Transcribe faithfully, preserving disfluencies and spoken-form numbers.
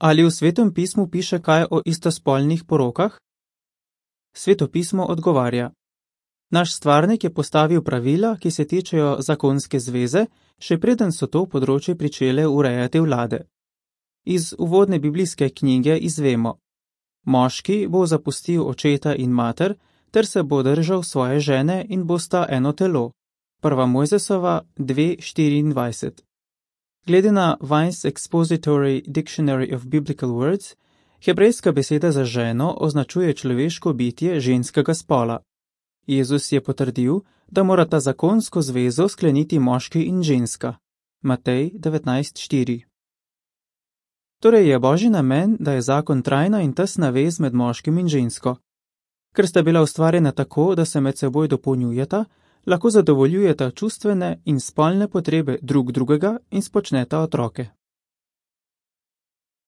Ali v Svetem pismu piše kaj o istospolnih porokah? Sveto pismo odgovarja: Naš stvarnik je postavil pravila, ki se tičejo zakonske zveze, še preden so to področje pričele urejati vlade. Iz uvodne biblijske knjige izvemo: Moški bo zapustil očeta in mater, ter se bo držal svoje žene in bosta eno telo. Prva Mojzesova dve štiriindvajset. Glede na Vine's Expository Dictionary of Biblical Words, hebrejska beseda za ženo označuje človeško bitje ženskega spola. Jezus je potrdil, da morata zakonsko zvezo skleniti moški in ženska. Matej devetnajst štiri. Torej je Božji namen, da je zakon trajna in tesna vez med moškim in žensko. Ker sta bila ustvarjena tako, da se med seboj dopolnjujeta, lahko zadovoljujeta čustvene in spolne potrebe drug drugega in spočneta otroke.